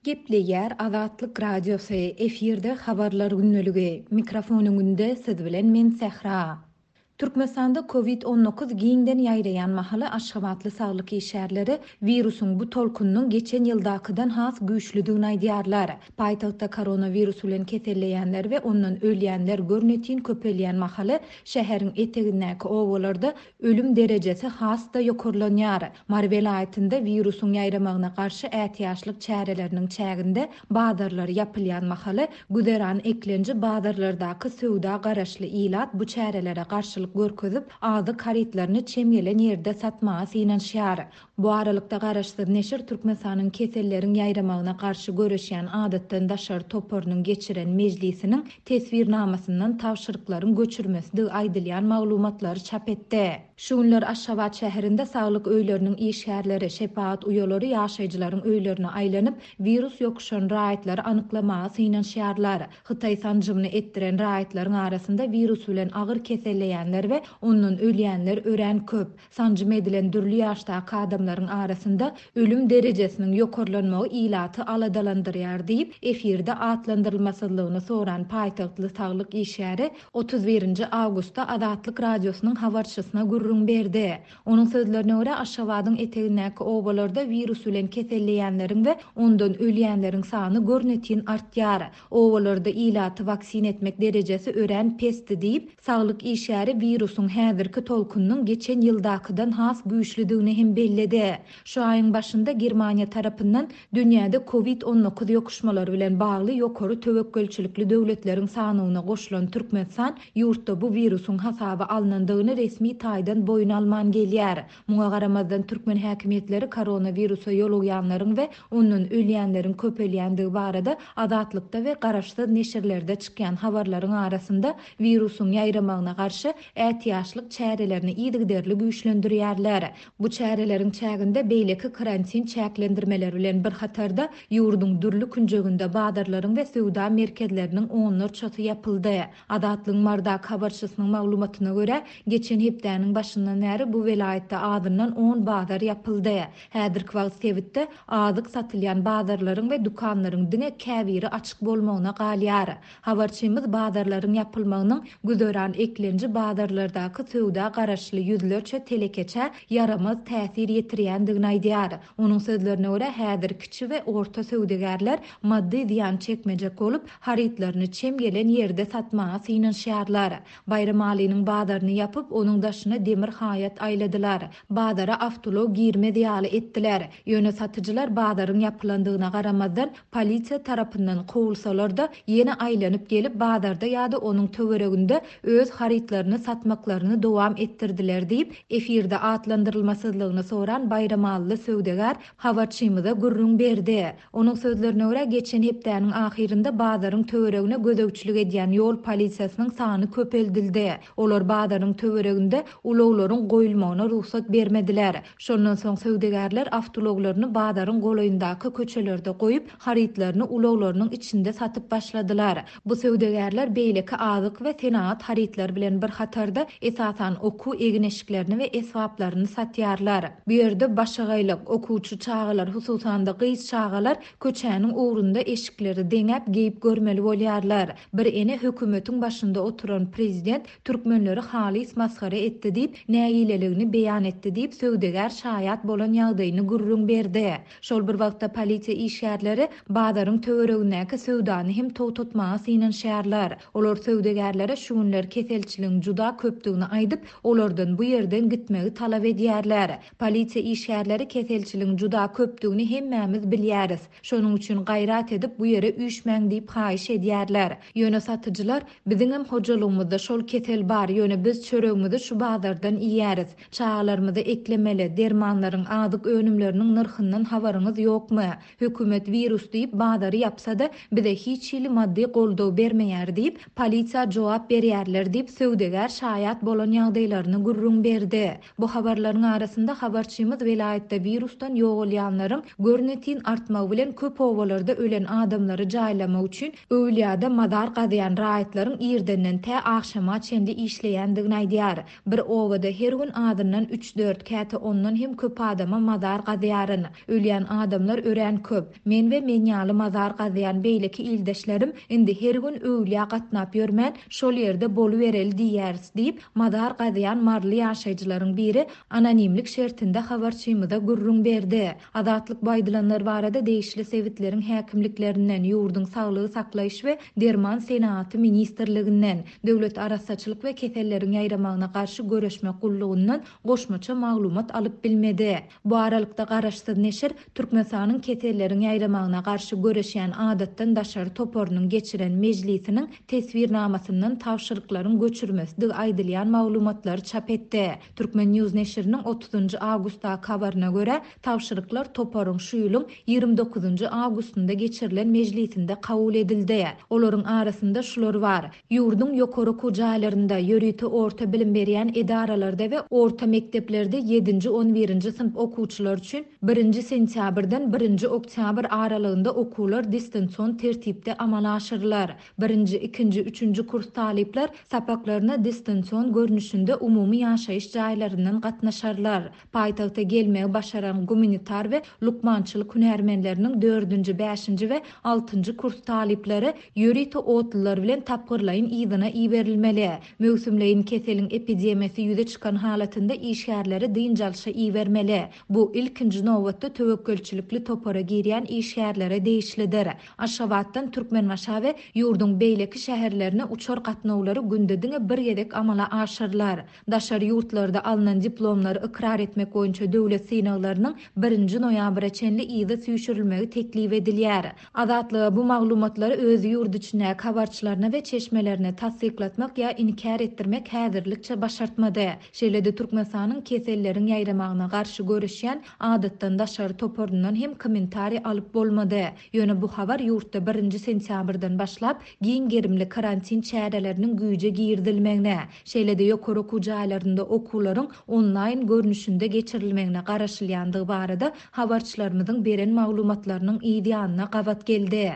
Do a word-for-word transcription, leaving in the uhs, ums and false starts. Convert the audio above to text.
Gepleýär Azatlyk Radiosy, efirde Habarlar gündeligi. Mikrofon öňünde siz bilen men Sähra. Türkmenistanda Covid on dokuz giňden ýaýraýan mahaly Aşgabatly saglyk işgärleri wirusyň bu tolkunynyň geçen ýyldakydan has güýçlüdigini aýdýarlar. Paýtagtda koronawirus bilen keselleýänler we ondan ölýänler görnetin köpelýän mahaly şäheriň etegindäki obalarda ölüm derejesi has-da ýokarlanýar. Mary welaýatynda wirusyň ýaýramagyna garşy ätiýaçlyk çäreleriniň çäginde bazarlar ýapylýan mahaly güzeran eklenji bazarlardaky söwda garaşly ilat bu çärelere garşylyk görkezip, azyk harytlaryny çem gelen ýerde satmaga synanyşýar. Bu aralykda garaşsyz neşir Türkmenistanyň keselleriň ýaýramagyna garşy göreşýän adatdan daşary toparynyň geçiren mejlisiniň teswirnamasyndan tabşyryklaryň göçürmesidigi aýdylýan maglumatlary çap etdi. Şu günler Aşgabat şäherinde saglyk öýleriniň işgärleri, şepagat uýalary ýaşaýjylaryň öýlerine aýlanyp, wirus ýokuşan raýatlary anyklamaga synanyşýarlar. Hytaý sanjymyny etdiren raýatlaryň arasynda wirus bilen agyr keselleýänler we ondan ölýänler örän köp. Sanjym edilen dürli ýaşdaky adamlaryň arasynda ölüm derejesiniň ýokarlanmagy ilaty aladalandyrýar diýip, efirde atlandyrylmasyzlygyny soran paýtagtly saglyk işgäri otuz birinji awgustda Azatlyk Radiosynyň habarçysyna gürrüň berdi. Onuň sözlerine görä Aşgabadyň etegindäki obalarda wirus bilen keselleýänleriň we ondan ölýänleriň sany görnetin artýar. Obalarda ilaty waksin etmek derejesi örän pesdi diýip, saglyk işgäri wirusyň häzirki tolkunynyň geçen ýyldakydan has güýçlüdigini hem belledi. Şu aýyň başynda Germaniýa tarapyndan dünýäde Covid on dokuz ýokuşmalary bilen bagly ýokary töwekgelçilikli döwletleriň sanyna goşulan Türkmenistan ýurtda bu wirusyň hasaba alynandygyny resmi taýdan boýun alman gelýär. Muňa garamazdan türkmen häkimiýetleri koronawirusa ýolugýanlaryň we ondan ölýänleriň köpelýändigi barada Azatlykda we garaşsyz neşirlerde çykýan habarlaryň arasynda wirusyň ýaýramagyna garşy ätiýaçlyk çärelerini yzygiderli güýçlendirýärler. Bu çäreleriň çäginde beýleki karantin çäklendirmeleri bilen bir hatarda ýurduň dürli künjeginde bazarlaryň we söwda merkezleriniň onlarçasy ýapyldy. Azatlygyň Mardak habarçysynyň maglumatyna görä, geçen hepdäniň başyndan bäri bu welaýatda azyndan on bazar ýapyldy. Häzirki wagt sebitde azyk satylýan bazarlaryň we dükanlaryň diňe käbiri açyk bolmagyna galýar. Habarçymyz bazarlaryň ýapylmagynyň güzeran eklenji bazarlardaky söwda garaşly ýüzlerçe telekeçä ýaramaz täsir ýetirýändigini aýdýar. Onuň sözlerine görä häzir kiçi we orta söwdagärler maddy zyýan çekmejek bolup, harytlaryny çem gelen ýerde satmaga synanyşýarlar. Baýramalynyň bazaryny ýapyp, onuň daşyna demir haýat aýladylar. Bazara awtoulag girmez ýaly etdiler. Ýöne satyjylar bazaryň ýapylandygyna garamazdan polisiýa tarapyndan kowulsalar-da ýene aýlanyp gelip bazarda ýa-da onuň töwereginde öz harytlaryny satmaklaryny dowam etdirdiler diýip, efirde atlandyrylmasyzlygyny soran Baýramalyly söwdagär habarçymyza gürrüň berdi. Onuň sözlerine görä geçen hepdäniň ahyrynda bazaryň töweregine gözegçilik edýän ýol polisiýasynyň sany köpeldildi. Olar bazaryň töwereginde ulaglaryň goýulmagyna rugsat bermediler. Şondan soň söwdagärler awtoulaglaryny bazaryň golaýyndaky köçelerde goýup, harytlaryny ulaglarynyň içinde satyp başladylar. Bu söwdagärler beýleki azyk we senagat harytlary bilen bir hatarda esasan okuw egin-eşiklerini we esbaplaryny satýarlar. Bu ýerde başagaýlyk, okuwçy çagalar, hususan-da gyz çagalar köçäniň ugrunda eşikleri deňäp geýip görmeli bolýarlar. Bir ene hökümetiň başynda oturan prezident türkmenleri halys masgara etdi diýip, nägileligini beýan etdi diýip, söwdagär şaýat bolan ýagdaýyny gürrüň berdi. Şol bir wagtda polisiýa işgärleri bazaryň töweregindäki söwdany hem togtatmaga synanyşýarlar. Olar söwdagärlere şu günler keselçiligiň juda köpdügini aýdyp, olardan bu ýerden gitmegi talap edýärler. Polisiýa işgärleri keselçiligiň juda köpdügini hemmämiz bilýäris. Şonuň üçin gaýrat edip bu ýere üýşmäň diýip haýyş edýärler. Ýöne satyjylar biziňem hojalygymyzda şol kesel bar, ýöne biz çöregimizi şu bazardan iýýäris. Çagalarymyzy eklemeli, dermanlaryň, azyk önümleriniň nyrhyndan habaryňyz ýokmy? Hökümet wirus diýip bazary ýapsa-da bize hiç hili maddy goldaw bermeýär diýip, polisiýa jogap berýärler diýip söwdagär şaýat bolan ýagdaýlaryny gürrüň berdi. Bu habarlaryň arasynda habarçymyz welaýatda wirusdan ýogalýanlaryň görnetin artmagy bilen köp obalarda ölen adamlary jaýlamak üçin öwlüýada mazar gazýan raýatlaryň irdenden tä agşama çenli işleýändigini aýdýar. Bir oba Obada her gün azyndan üç-dört, käte ondan hem köp adama mazar gazýaryn. Ölýän adamlar örän köp. Men we men ýaly mazar gazýan beýleki ildeşlerim indi her gün öwlüýä gatnap ýörmän, şol ýerde bolubereli diýýäris diýip, mazar gazýan maryly ýaşaýjylaryň biri anonimlik şertinde habarçymyza gürrüň berdi. Azatlyk bu aýdylanlar barada degişli sebitleriň häkimliklerinden, ýurduň saglygy saklaýyş we derman senagaty ministrliginden, Döwlet arassaçylyk we keselleriň ýaýramagyna garşy göreşmek gullugyndan goşmaça maglumat alyp bilmedi. Bu aralykda garaşsyz neşir Türkmenistanyň keselleriň ýaýramagyna garşy göreşýän adatdan daşary toparynyň geçiren mejlisiniň teswirnamasyndan tabşyryklaryň göçürmesidigi aýdylýan maglumatlary çap etdi. Turkmen News neşiriniň otuzynjy awgustdaky habaryna görä, tabşyryklar toparyň şu ýylyň ýigrimi dokuzynjy awgustynda geçirilen mejlisinde kabul edildi. Olaryň arasynda şular bar: Ýurduň ýokary okuw jaýlarynda, ýörite orta bilim berýän edaralarda we orta mekdeplerde ýedinji on birinji synp okuwçylar üçin birinji sentýabrdan birinji oktýabr aralygynda okuwlar distansion tertipde amala aşyrylar. Birinji, ikinji, üçünji kurs talyplar sapaklaryna distansion görnüşinde umumy ýaşaýyş jaýlaryndan gatnaşarlar. Paýtagta gelmegi başaran gumanitar we lukmançylyk hünärmenleriniň dördünji, bäşinji we altynjy kurs talyplary ýörite otlular bilen tapgyrlaýyn yzyna iberilmeli. Möwsümleýin keseliň epidemiýasy ýüze çykan halatynda işgärleri dynç alşa ibermeli. Bu ilkinji nobatda töwekgelçilikli topara girýän işgärlere degişlidir. Aşgabatdan Türkmenbaşa we ýurduň beýleki şäherlerine uçar gatnawlary günde diňe bir gezek amala aşyrylar. Daşary ýurtlarda alnan diplomlary ykrar etmek boýunça döwlet synaglarynyň birinji noýabra çenli yzy süýşürilmegi teklip edilýär. Azatlyga bu maglumatlary öz ýurt içindäki habarçylaryna we çeşmelerine tassyklatmak ýa inkär etdirmek häzirlikçe başartmady. Şeýle-de Türkmenistanyň keselleriň ýaýramagyna garşy göreşýän adatdan daşary toparyndan hem kommentariý alyp bolmady. Ýöne bu habar ýurtda birinji sentýabrdan başlap giň gerimli karantin çäreleriniň güýje girizilmegine, şeýle-de ýokary okuw jaýlarynda okuwlaryň onlaýn görnüşinde geçirilmegine garaşylýandygy barada habarçylarymyzyň beren maglumatlarynyň yz ýanyna gabat geldi.